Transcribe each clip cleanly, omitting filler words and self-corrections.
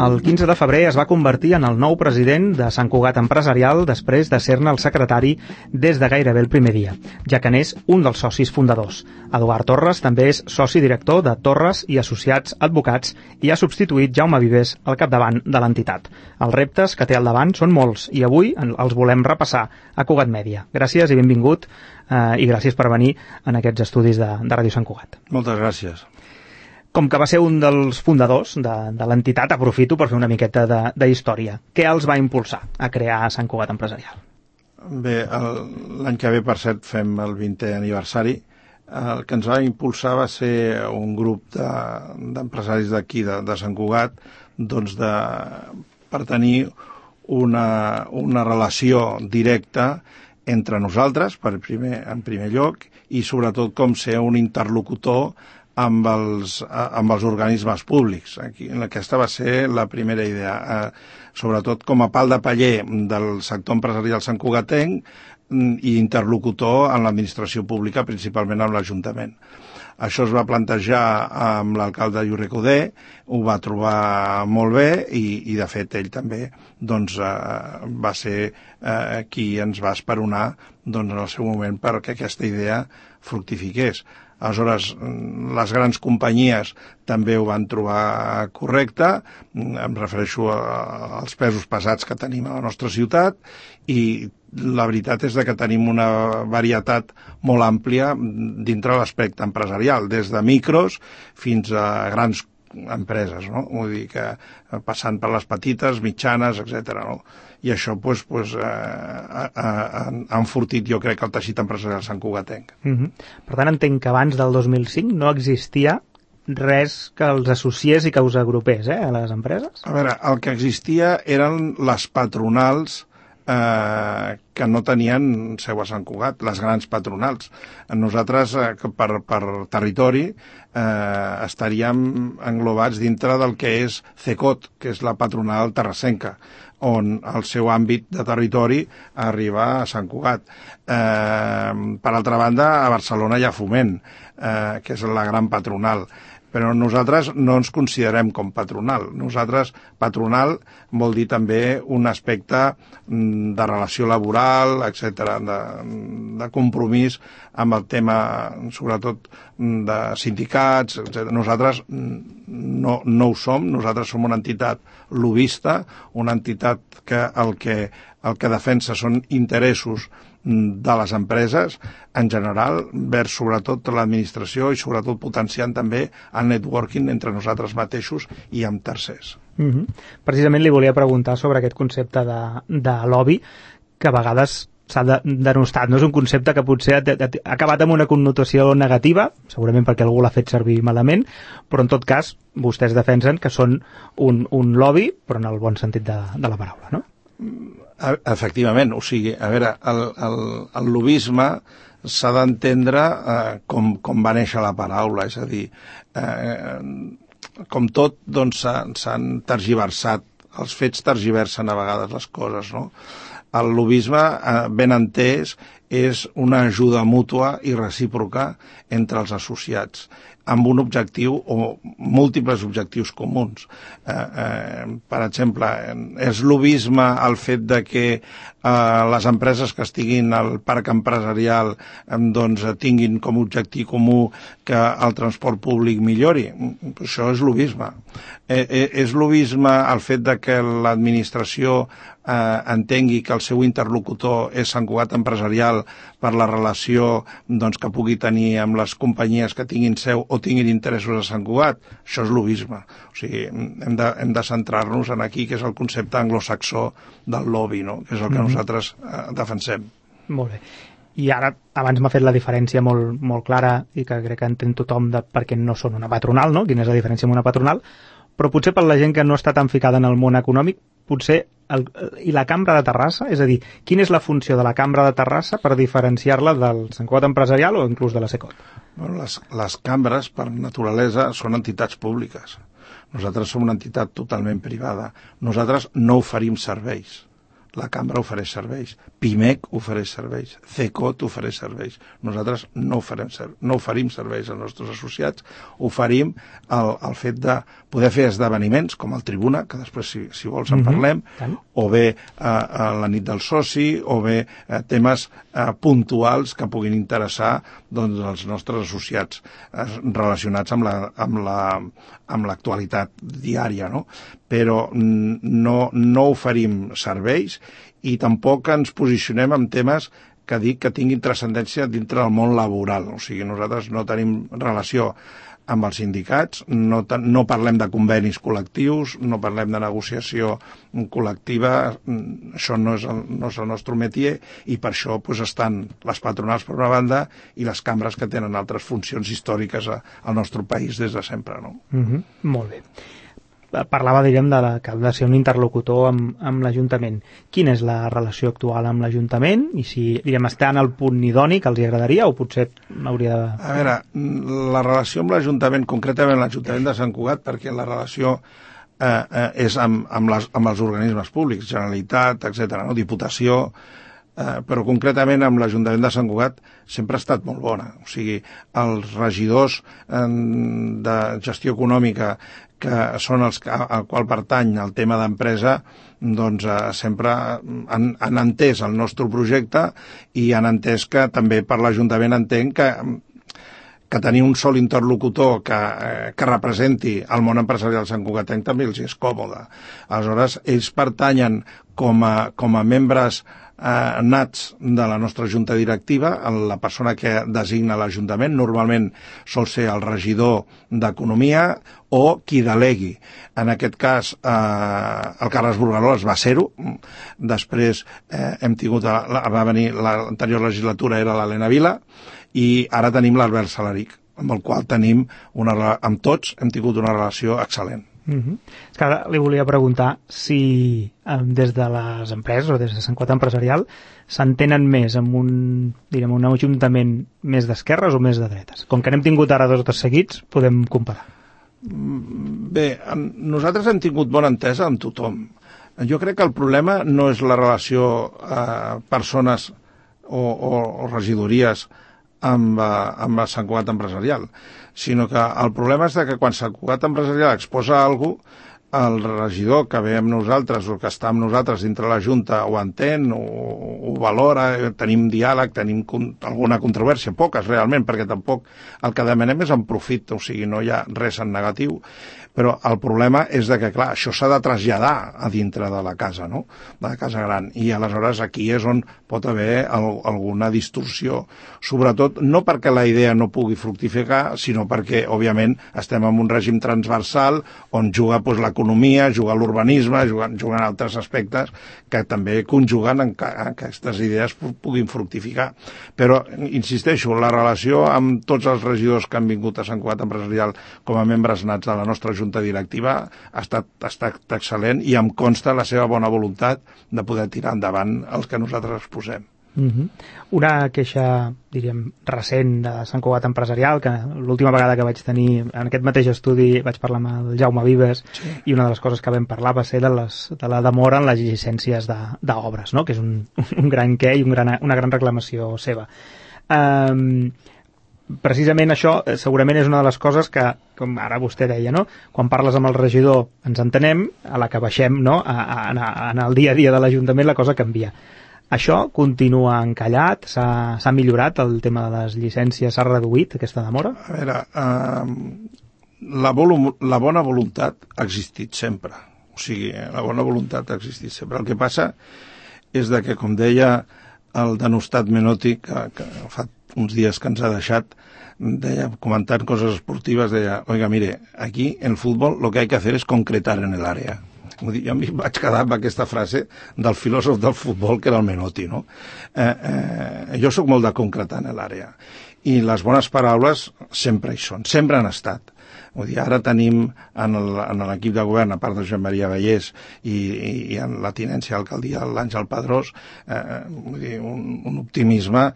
El 15 de febrer es va convertir en el nou president de Sant Cugat Empresarial després de ser-ne el secretari des de gairebé el primer dia, ja que n'és un dels socis fundadors. Eduard Torres també és soci director de Torres i Associats Advocats i ha substituït Jaume Vives al capdavant de l'entitat. Els reptes que té al davant són molts i avui els volem repassar a Cugat Mèdia. Gràcies i benvingut i gràcies per venir en aquests estudis de Ràdio Sant Cugat. Moltes gràcies. Com que va ser un dels fundadors de l'entitat, aprofito per fer una miqueta de història. Què els va impulsar a crear Sant Cugat Empresarial? Bé, l'any que ve, per cert, fem el 20è aniversari. El que ens va impulsar va ser un grup d'empresaris d'aquí, de Sant Cugat, doncs per tenir una relació directa entre nosaltres, en primer lloc, i sobretot com ser un interlocutor amb els organismes públics. Aquesta va ser la primera idea, sobretot com a pal de paller del sector empresarial santcugatenc i interlocutor en l'administració pública, principalment amb l'Ajuntament. Això es va plantejar amb l'alcalde Lluís Recoder, ho va trobar molt bé i de fet ell també va ser qui ens va esperonar en el seu moment perquè aquesta idea fructifiqués. Aleshores, les grans companyies també ho van trobar correcte, em refereixo als pesos pesats que tenim a la nostra ciutat, i la veritat és que tenim una varietat molt àmplia dintre l'aspecte empresarial, des de micros fins a grans empreses, no? Vull dir que passant per les petites, mitjanes, etc. No? I això ha enfortit, jo crec, el teixit empresarial santcugatenc. Per tant, entenc que abans del 2005 no existia res que els associés i que us agrupés a les empreses? A veure, el que existia eren les patronals que no tenien seu a Sant Cugat, les grans patronals. Nosaltres, per territori, estaríem englobats dintre del que és CECOT, que és la patronal terrassenca, on el seu àmbit de territori arriba a Sant Cugat. Per altra banda, a Barcelona hi ha Foment, que és la gran patronal. Però nosaltres no ens considerem com patronal. Nosaltres, patronal vol dir també un aspecte de relació laboral, etc., de compromís amb el tema, sobretot, de sindicats, etc. Nosaltres no ho som, nosaltres som una entitat lobbista, una entitat que el que defensa són interessos de les empreses en general, vers sobretot l'administració i sobretot potenciant també el networking entre nosaltres mateixos i amb tercers. Precisament li volia preguntar sobre aquest concepte de lobby, que a vegades s'ha denostat, no és un concepte que potser ha acabat amb una connotació negativa, segurament perquè algú l'ha fet servir malament, però en tot cas vostès defensen que són un lobby, però en el bon sentit de la paraula, no? Efectivament, o sigui, a veure, el lobbisme s'ha d'entendre com va néixer la paraula, és a dir, com tot, doncs s'han tergiversat, els fets tergiversen a vegades les coses, no? El lobbisme, ben entès, és una ajuda mútua i recíproca entre els associats, amb un objectiu o múltiples objectius comuns. Per exemple, és lobbisme el fet de que les empreses que estiguin al parc empresarial doncs tinguin com a objectiu comú que el transport públic millori. Això és lobbisme. És lobbisme el fet de que l'administració entengui que el seu interlocutor és Sant Cugat Empresarial per la relació que pugui tenir amb les companyies que tinguin seu o tinguin interessos a Sant Cugat. Això és lobbisme. O sigui, hem de centrar-nos en aquí, que és el concepte anglosaxó del lobby, no? Que és el que nosaltres defensem. Molt bé. I ara, abans m'ha fet la diferència molt clara i que crec que entén tothom de per què no són una patronal, no? Quina és la diferència amb una patronal, però potser per la gent que no està tan ficada en el món econòmic, potser i la Cambra de Terrassa, és a dir, quina és la funció de la Cambra de Terrassa per diferenciar-la del Sant Cugat Empresarial o inclús de la CECOT? Bueno, les cambres, per naturalesa, són entitats públiques. Nosaltres som una entitat totalment privada. Nosaltres no oferim serveis. la cambra ofereix serveis, PIMEC ofereix serveis, CECOT ofereix serveis. Nosaltres no oferim serveis als nostres associats, oferim el fet de poder fer esdeveniments com el Tribuna, que després si vols en parlem, o bé la nit del soci, o bé temes puntuals que puguin interessar doncs, els nostres associats relacionats amb l'actualitat diària, no? Però no oferim serveis i tampoc ens posicionem en temes que dic que tinguin transcendència dintre del món laboral. O sigui, nosaltres no tenim relació amb els sindicats, no parlem de convenis col·lectius, no parlem de negociació col·lectiva, això no és el nostre métier i per això doncs, estan les patronals per una banda i les cambres que tenen altres funcions històriques al nostre país des de sempre. No? Molt bé. Parlava, diríem, que ha de ser un interlocutor amb l'Ajuntament. Quina és la relació actual amb l'Ajuntament? I si, diríem, està en el punt idoni que els agradaria o potser hauria de... A veure, la relació amb l'Ajuntament, concretament l'Ajuntament de Sant Cugat, perquè la relació és amb els organismes públics, Generalitat, etc., no? Diputació, però concretament amb l'Ajuntament de Sant Cugat sempre ha estat molt bona. O sigui, els regidors de gestió econòmica que són els al qual pertany el tema d'empresa, doncs sempre han entès el nostre projecte i han entès que també per l'Ajuntament entenc que tenir un sol interlocutor que representi el món empresarial santcugatenc també els és còmode. Aleshores, ells pertanyen com a membres nats de la nostra junta directiva, la persona que designa l'Ajuntament, normalment sol ser el regidor d'Economia o qui delegui. En aquest cas, el Carles Burgaroles va ser-ho. Després hem tingut, va venir l'anterior legislatura, era l'Helena Vila, i ara tenim l'Albert Salaric, amb el qual tenim amb tots hem tingut una relació excel·lent. És que ara li volia preguntar si des de les empreses o des de Sant Cugat Empresarial s'entenen més amb un ajuntament més d'esquerres o més de dretes. Com que n'hem tingut ara 2 o 3 seguits, podem comparar. Bé, nosaltres hem tingut bona entesa amb tothom. Jo crec que el problema no és la relació persones o regidories amb Sant Cugat Empresarial, sinó que el problema és que quan Sant Cugat Empresarial exposa alguna cosa, el regidor que ve amb nosaltres o que està amb nosaltres dintre la Junta ho entén, ho valora, tenim diàleg, tenim alguna controvèrsia, poques realment, perquè tampoc el que demanem és en profit, o sigui, no hi ha res en negatiu, però el problema és que, clar, això s'ha de traslladar a dintre de la casa, no?, de la casa gran, i aleshores aquí és on pot haver alguna distorsió, sobretot no perquè la idea no pugui fructificar, sinó perquè, òbviament, estem en un règim transversal on juga l'economia, juga l'urbanisme, juguen altres aspectes que també conjuguen en que aquestes idees puguin fructificar. Però, insisteixo, la relació amb tots els regidors que han vingut a Sant Cugat Empresarial com a membres nats de la nostra junta directiva ha estat excel·lent i em consta la seva bona voluntat de poder tirar endavant els que nosaltres exposem. Una queixa, diríem, recent de Sant Cugat Empresarial, que l'última vegada que vaig tenir en aquest mateix estudi vaig parlar amb el Jaume Vives, sí. I una de les coses que vam parlar va ser de la demora en les llicències d'obres, no? Que és un gran què i una gran reclamació seva. Precisament això segurament és una de les coses que, com ara vostè deia, no? Quan parles amb el regidor ens entenem, a la que baixem, no? En el dia a dia de l'Ajuntament la cosa canvia. Això continua encallat? S'ha millorat el tema de les llicències? S'ha reduït aquesta demora? A veure, la bona voluntat ha existit sempre. O sigui, la bona voluntat ha existit sempre. El que passa és que, com deia el denostat Menotti, que fa uns dies que ens ha deixat, deia, comentant coses esportives, deia, oiga, mire, aquí en el fútbol lo que hay que hacer es concretar en el área. Jo em vaig quedar amb aquesta frase del filòsof del futbol, que era el Menotti, no? Jo sóc molt de concretar en l'àrea. I les bones paraules sempre hi són, sempre han estat. Vull dir, ara tenim en l'equip de govern, a part de Joan Maria Vallès i en la tinència d'alcaldia l'Àngel Padrós, vull dir, un optimisme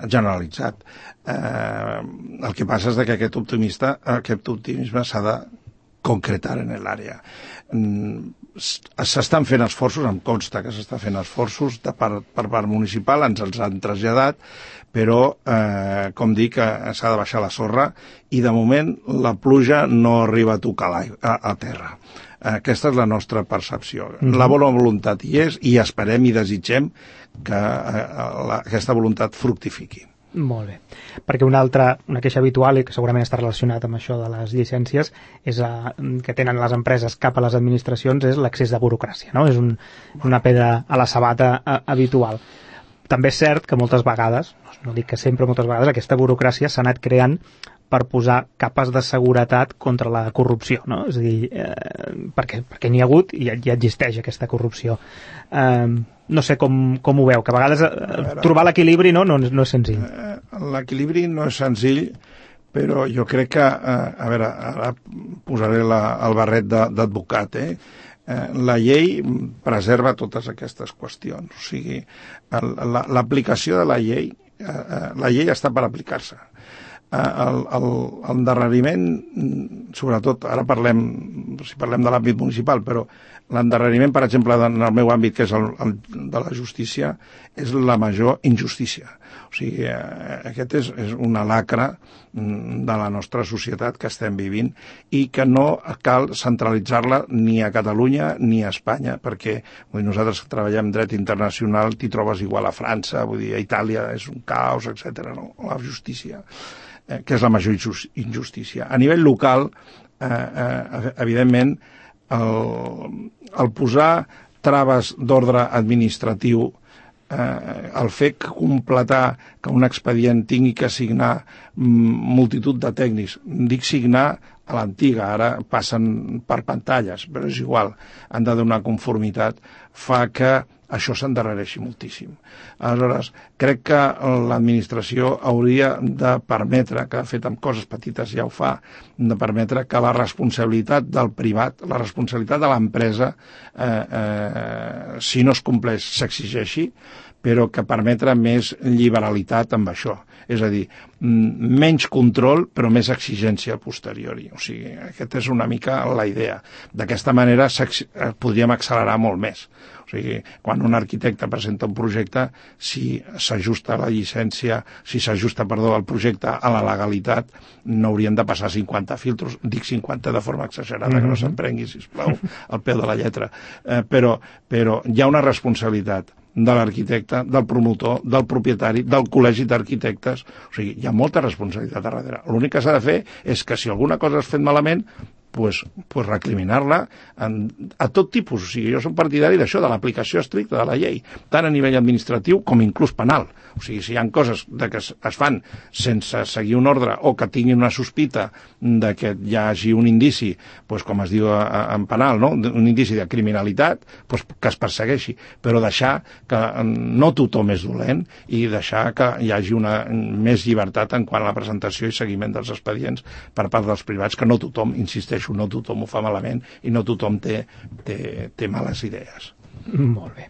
generalitzat. El que passa és que aquest optimisme s'ha de concretar en l'àrea. S'estan fent esforços, em consta que s'estan fent esforços per part municipal, ens els han traslladat, però, com dic, s'ha de baixar la sorra i de moment la pluja no arriba a tocar a terra. Aquesta és la nostra percepció. La bona voluntat hi és i esperem i desitgem que aquesta voluntat fructifiqui. Molt bé, perquè una queixa habitual i que segurament està relacionat amb això de les llicències és que tenen les empreses cap a les administracions és l'accés de burocràcia, no? És una pedra a la sabata habitual. També és cert que moltes vegades, no dic que sempre, moltes vegades aquesta burocràcia s'ha anat creant per posar capes de seguretat contra la corrupció, no? És a dir, perquè n'hi ha hagut i ja existeix aquesta corrupció. No sé com ho veu, que a vegades trobar l'equilibri no és senzill. L'equilibri no és senzill, però jo crec que, a veure, ara posaré el barret d'advocat, la llei preserva totes aquestes qüestions, o sigui, l'aplicació de la llei està per aplicar-se. L'endarreriment, sobretot, ara si parlem de l'àmbit municipal, però l'endarreriment, per exemple, en el meu àmbit, que és el de la justícia, és la major injustícia. O sigui, aquest és una lacra de la nostra societat que estem vivint i que no cal centralitzar-la ni a Catalunya ni a Espanya, perquè nosaltres treballem dret internacional, t'hi trobes igual a França, vull dir, a Itàlia és un caos, etc. No? La justícia, que és la major injustícia. A nivell local, evidentment, el posar traves d'ordre administratiu, el fer completar que un expedient tingui que signar multitud de tècnics, dic signar a l'antiga, ara passen per pantalles, però és igual, han de donar conformitat, fa que això s'endarrereixi moltíssim. Aleshores, crec que l'administració hauria de permetre, que de fet amb coses petites ja ho fa, de permetre que la responsabilitat del privat, la responsabilitat de l'empresa, si no es compleix, s'exigeixi, però que permetre més liberalitat amb això. És a dir, menys control, però més exigència a posteriori. O sigui, aquesta és una mica la idea. D'aquesta manera podríem accelerar molt més. O sigui, quan un arquitecte presenta un projecte, si s'ajusta la llicència, el projecte a la legalitat, no haurien de passar 50 filtros, dic 50 de forma exagerada, que no s'emprengui, sisplau, al peu de la lletra. Però hi ha una responsabilitat de l'arquitecte, del promotor, del propietari, del col·legi d'arquitectes. O sigui, hi ha molta responsabilitat a darrere. L'únic que s'ha de fer és que si alguna cosa has fet malament, pues recriminar-la a tot tipus. O sigui, jo soc partidari d'això, de l'aplicació estricta de la llei, tant a nivell administratiu com inclús penal. O sigui, si hi ha coses que es fan sense seguir un ordre o que tinguin una sospita de que hi hagi un indici, pues, com es diu en penal, no? Un indici de criminalitat, pues, que es persegueixi, però deixar que no tothom és dolent i deixar que hi hagi més llibertat en quant a la presentació i seguiment dels expedients per part dels privats, que no tothom, insisteixo, no tothom ho fa malament i no tothom té males idees. Molt bé.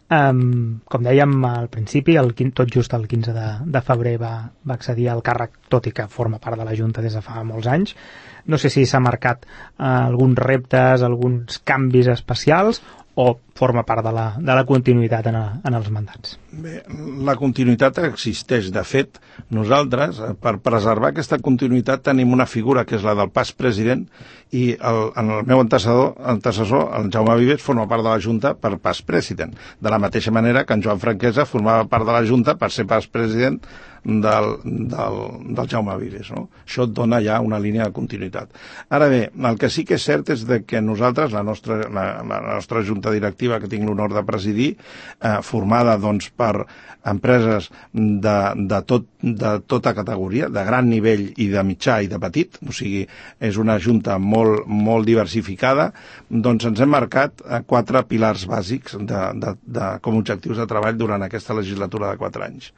Com dèiem al principi, tot just el 15 de febrer va accedir al càrrec, tot i que forma part de la Junta des de fa molts anys. No sé si s'ha marcat alguns reptes, alguns canvis especials, o forma part de la continuïtat en els mandats? Bé, la continuïtat existeix. De fet, nosaltres, per preservar aquesta continuïtat, tenim una figura que és la del pas president, i el meu antecessor, el Jaume Vives, forma part de la Junta per pas president. De la mateixa manera que en Joan Franquesa formava part de la Junta per ser pas president del Jaume Vives. No? Això et dona ja una línia de continuïtat. Ara bé, el que sí que és cert és que nosaltres, la nostra Junta Directiva, que tinc l'honor de presidir, formada doncs, per empreses de tota categoria, de gran nivell i de mitjà i de petit, o sigui, és una junta molt diversificada, doncs ens hem marcat 4 pilars bàsics com objectius de treball durant aquesta legislatura de 4 anys.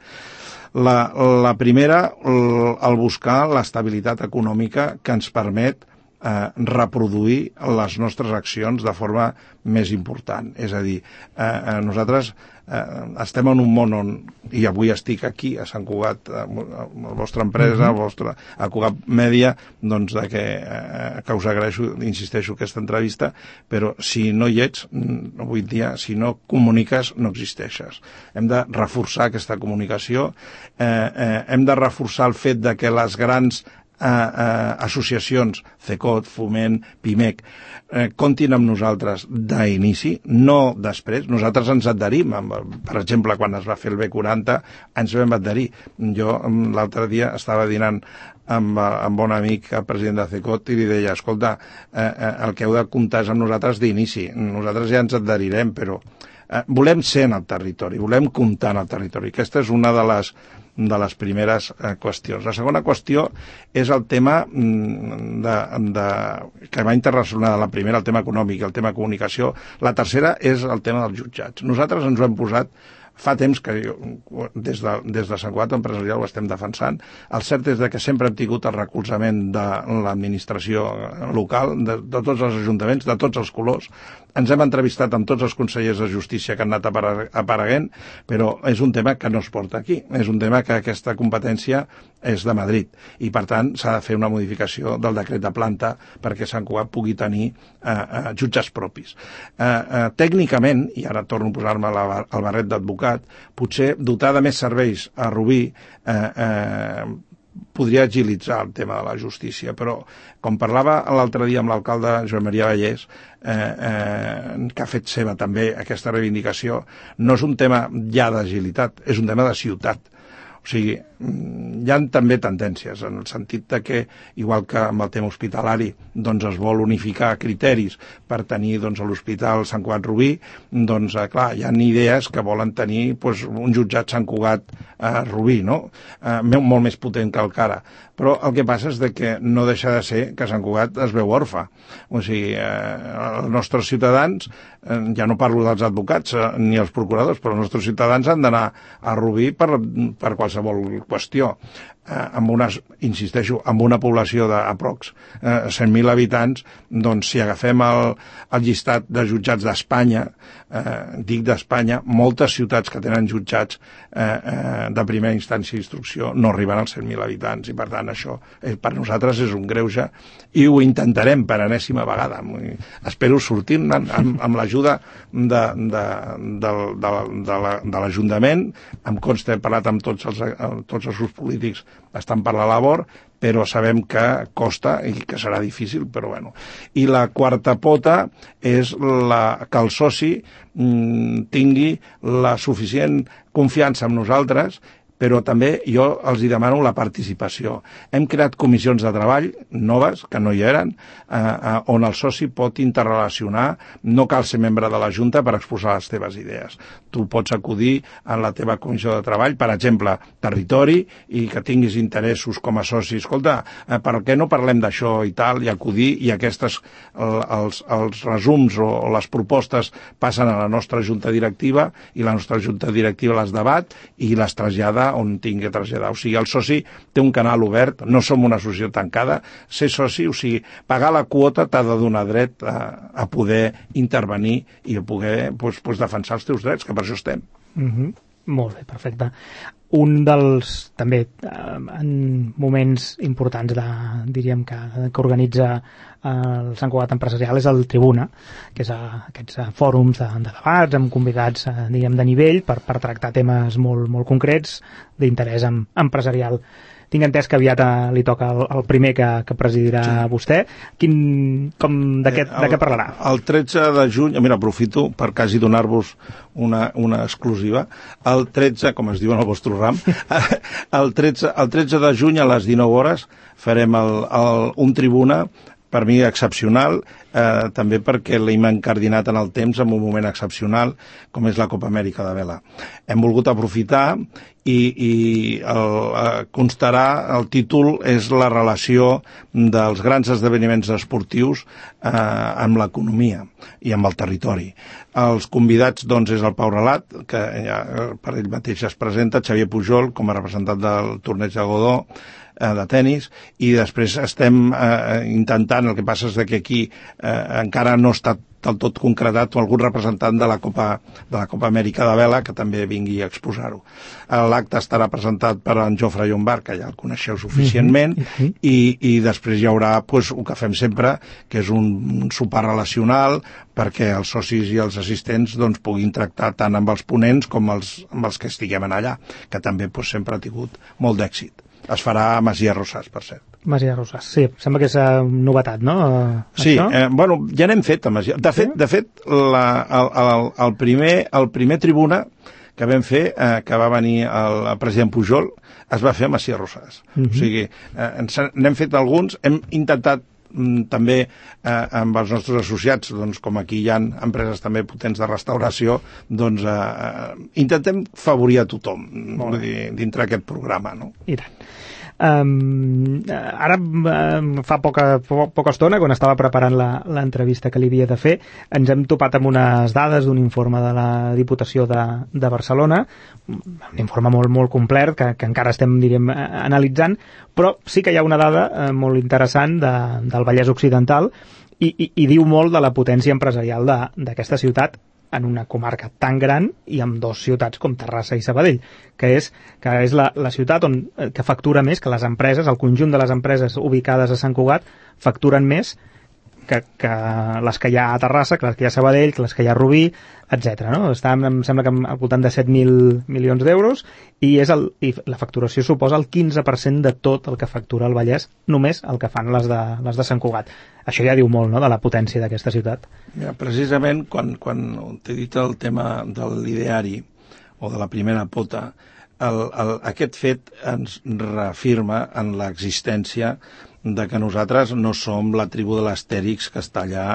La primera, el buscar l'estabilitat econòmica que ens permet reproduir les nostres accions de forma més important. És a dir, nosaltres estem en un món on, i avui estic aquí a Sant Cugat, a la vostra empresa, a Cugat Mèdia, doncs que us agraeixo, insisteixo, aquesta entrevista, però si no hi ets, avui dia, si no comuniques, no existeixes. Hem de reforçar aquesta comunicació, hem de reforçar el fet de que les grans associacions, CECOT, Foment, PIMEC, comptin amb nosaltres d'inici, no després. Nosaltres ens adherim. Per exemple, quan es va fer el B40, ens vam adherir. Jo l'altre dia estava dinant amb un amic, el president de CECOT, i li deia, escolta, el que heu de comptar és amb nosaltres d'inici. Nosaltres ja ens adherirem, però volem ser en el territori, volem comptar en el territori. Aquesta és una de les primeres qüestions. La segona qüestió és el tema que va interrelacionar, la primera, el tema econòmic, el tema comunicació. La tercera és el tema dels jutjats. Nosaltres ens ho hem posat fa temps que des de Sant Cugat Empresarial ho estem defensant. El cert és que sempre hem tingut el recolzament de l'administració local, de tots els ajuntaments, de tots els colors. Ens hem entrevistat amb tots els consellers de justícia que han anat apareguent, però és un tema que no es porta aquí. És un tema que aquesta competència és de Madrid i, per tant, s'ha de fer una modificació del decret de planta perquè Sant Cugat pugui tenir jutges propis. Tècnicament, i ara torno a posar-me el barret d'advocat, potser dotar de més serveis a Rubí podria agilitzar el tema de la justícia, però com parlava l'altre dia amb l'alcalde Joan Maria Vallès, que ha fet seva també aquesta reivindicació, no és un tema ja d'agilitat, és un tema de ciutat. O sigui, hi ha també tendències en el sentit de que, igual que amb el tema hospitalari, doncs es vol unificar criteris per tenir doncs, a l'Hospital Sant Cugat Rubí, doncs clar, hi ha idees que volen tenir doncs, un jutjat Sant Cugat Rubí, no? Molt més potent que el Cara. Però el que passa és que no deixa de ser que Sant Cugat es veu orfe. O sigui, els nostres ciutadans, ja no parlo dels advocats ni els procuradors, però els nostres ciutadans han d'anar a Rubí per qualsevol qüestió. Insisteixo, amb una població d'aprox 100.000 habitants, doncs si agafem el llistat de jutjats d'Espanya, dic d'Espanya, moltes ciutats que tenen jutjats de primera instància d'instrucció no arriben als 100.000 habitants i, per tant, això per nosaltres és un greuge i ho intentarem per enèsima vegada. Espero sortir amb l'ajuda de l'Ajuntament. Em consta, he parlat amb tots els grups polítics, estan per la labor, però sabem que costa i que serà difícil, però bueno. I la quarta pota és que el soci tingui la suficient confiança en nosaltres, però també jo els demano la participació. Hem creat comissions de treball noves, que no hi eren, on el soci pot interrelacionar, no cal ser membre de la Junta per exposar les teves idees. Tu pots acudir a la teva comissió de treball, per exemple, territori, i que tinguis interessos com a soci. Escolta, per què no parlem d'això i tal, i acudir, i aquests, els resums o les propostes passen a la nostra Junta Directiva, i la nostra Junta Directiva les debat i les trasllada on tingui que traslladar. O sigui, el soci té un canal obert, no som una associació tancada, ser soci, o sigui, pagar la quota t'ha de donar dret a poder intervenir i a poder defensar els teus drets, que per això estem. Molt bé, perfecte. Un dels, també, en moments importants diríem que organitza el Sant Cugat Empresarial és el Tribuna, que és aquests fòrums de debats amb convidats, diguem, de nivell per tractar temes molt concrets d'interès empresarial. Tinc entès que aviat li toca el primer que presidirà vostè. De què parlarà? El 13 de juny, mira, aprofito per quasi donar-vos una exclusiva. El 13, com es diu en el vostre ram, el 13 de juny a les 19 hores farem un tribuna, per mi excepcional, també perquè l'hem encardinat en el temps en un moment excepcional, com és la Copa Amèrica de Vela. Hem volgut aprofitar i constarà, el títol és la relació dels grans esdeveniments esportius amb l'economia i amb el territori. Els convidats, doncs, és el Pau Relat, que ja per ell mateix es presenta, Xavier Pujol, com a representant del torneig de Godó, de tennis, i després estem intentant, el que passa és que aquí encara no està del tot concretat, o algun representant de la Copa Amèrica de Vela que també vingui a exposar-ho. L'acte estarà presentat per en Jofre Llombart, que ja el coneixeu suficientment, i després hi haurà el que fem sempre, que és un sopar relacional perquè els socis i els assistents puguin tractar tant amb els ponents com amb els que estiguem allà, que també sempre ha tingut molt d'èxit. Es farà a Masia Rosàs, per cert. Masia Rosàs, sí, sembla que és novetat, no? Sí, ja n'hem fet a Masia. De fet, el primer tribuna que vam fer, que va venir el president Pujol, es va fer a Masia Rosàs. O sigui, n'hem fet alguns, hem intentat també amb els nostres associats, com aquí hi ha empreses també potents de restauració, intentem favorir a tothom dintre aquest programa, no? I tant. Ara fa poca estona, quan estava preparant l'entrevista que li havia de fer, ens hem topat amb unes dades d'un informe de la Diputació de Barcelona, un informe molt, molt complet que encara estem, diríem, analitzant, però sí que hi ha una dada molt interessant del Vallès Occidental i diu molt de la potència empresarial d'aquesta ciutat en una comarca tan gran i amb dues ciutats com Terrassa i Sabadell, que és la ciutat que factura més, que les empreses, el conjunt de les empreses ubicades a Sant Cugat, facturen més que les que hi ha a Terrassa, que les que hi ha a Sabadell, que les que hi ha a Rubí, etc. No? Està, em sembla que al voltant de 7.000 milions d'euros i la facturació suposa el 15% de tot el que factura el Vallès, només el que fan les de Sant Cugat. Això ja diu molt, no?, de la potència d'aquesta ciutat. Ja, precisament, quan t'he dit el tema de l'ideari o de la primera pota, aquest fet ens reafirma en l'existència de que nosaltres no som la tribu de l'Astèrix que està allà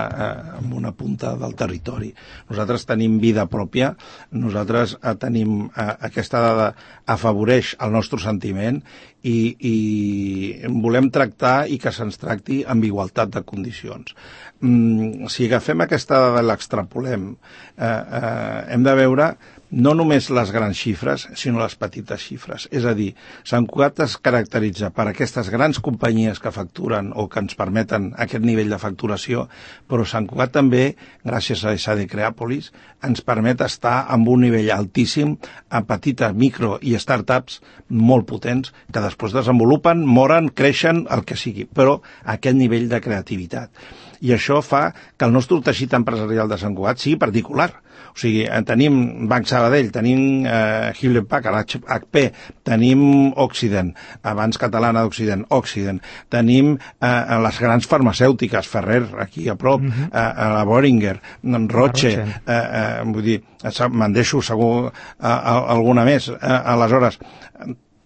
en una punta del territori. Nosaltres tenim vida pròpia, nosaltres tenim aquesta dada, afavoreix el nostre sentiment i volem tractar i que se'ns tracti amb igualtat de condicions. Si agafem aquesta dada i l'extrapolem, hem de veure no només les grans xifres, sinó les petites xifres. És a dir, Sant Cugat es caracteritza per aquestes grans companyies que facturen o que ens permeten aquest nivell de facturació, però Sant Cugat també, gràcies a SADE Creàpolis, ens permet estar amb un nivell altíssim a petites, micro i startups molt potents que després desenvolupen, moren, creixen, el que sigui, però a aquest nivell de creativitat. I això fa que el nostre teixit empresarial de Sant Cugat sigui particular. O sigui, tenim Banc Sabadell, tenim Hewlett Packard, HP, tenim Occident, abans catalana d'Occident, Occident, tenim les grans farmacèutiques, Ferrer, aquí a prop, la Boehringer, Roche, vull dir, me'n deixo segur alguna més. Aleshores,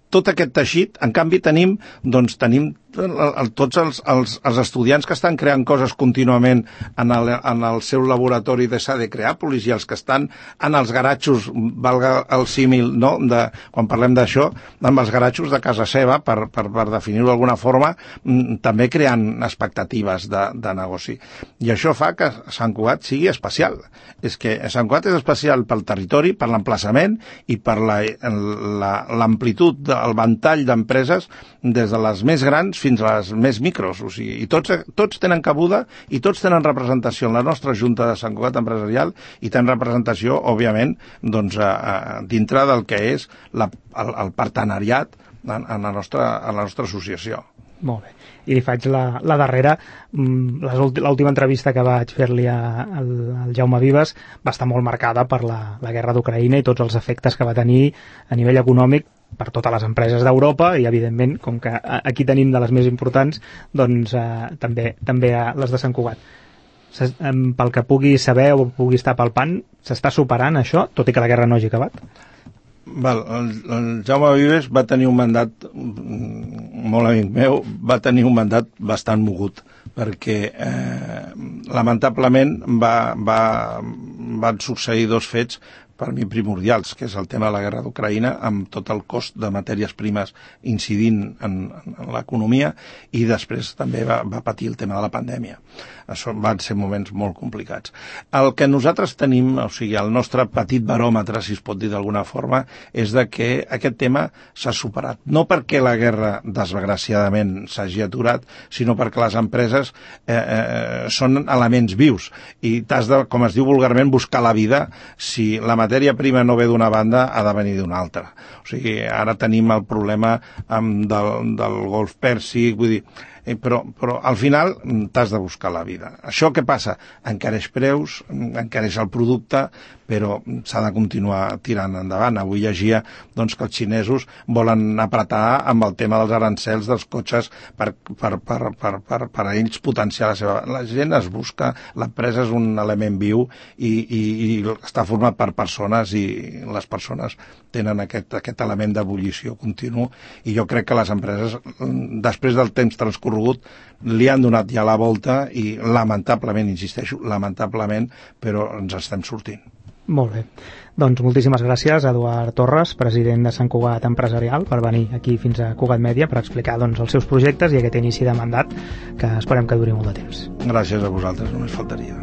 tot aquest teixit, en canvi tenim tots els estudiants que estan creant coses contínuament en el seu laboratori de SADE Creàpolis i els que estan en els garatxos, valga el símil, no?, quan parlem d'això, amb els garatxos de casa seva, per definir-ho d'alguna forma, també creant expectatives de negoci. I això fa que Sant Cugat sigui especial. És que Sant Cugat és especial pel territori, per l'emplaçament i per l'amplitud, el ventall d'empreses, des de les més grans fins a les més micros, o sigui, i tots tenen cabuda i tots tenen representació en la nostra Junta de Sant Cugat Empresarial i tenen representació, òbviament, dintre del que és el partenariat en la nostra associació. Molt bé. I li faig la darrera. L'última entrevista que vaig fer-li al Jaume Vives va estar molt marcada per la guerra d'Ucraïna i tots els efectes que va tenir a nivell econòmic per totes les empreses d'Europa i, evidentment, com que aquí tenim de les més importants, doncs també les de Sant Cugat. Pel que pugui saber o pugui estar palpant, s'està superant això, tot i que la guerra no hagi acabat? El Jaume Vives va tenir un mandat, molt amic meu, va tenir un mandat bastant mogut, perquè lamentablement van succeir dos fets per mi primordials, que és el tema de la guerra d'Ucraïna, amb tot el cost de matèries primes incidint en l'economia, i després també va patir el tema de la pandèmia. Això van ser moments molt complicats. El que nosaltres tenim, o sigui, el nostre petit baròmetre, si es pot dir d'alguna forma, és de que aquest tema s'ha superat. No perquè la guerra, desgraciadament, s'hagi aturat, sinó perquè les empreses són elements vius i t'has de, com es diu vulgarment, buscar la vida. Si la matèria prima no ve d'una banda, ha de venir d'una altra. O sigui, ara tenim el problema del Golf Pèrsic, vull dir, però al final t'has de buscar la vida. Això què passa? Encareix preus, encareix el producte, però s'ha de continuar tirant endavant. Avui llegia doncs, que els xinesos volen apretar amb el tema dels arancels dels cotxes per a ells potenciar la seva... La gent es busca, l'empresa és un element viu i està format per persones, i les persones tenen aquest element d'ebullició continu, i jo crec que les empreses, després del temps transcorregut, li han donat ja la volta i lamentablement, insisteixo, lamentablement, però ens estem sortint. Molt bé. Doncs moltíssimes gràcies a Eduard Torres, president de Sant Cugat Empresarial, per venir aquí fins a Cugat Mèdia per explicar doncs, els seus projectes i aquest inici de mandat que esperem que duri molt de temps. Gràcies a vosaltres, només faltaria.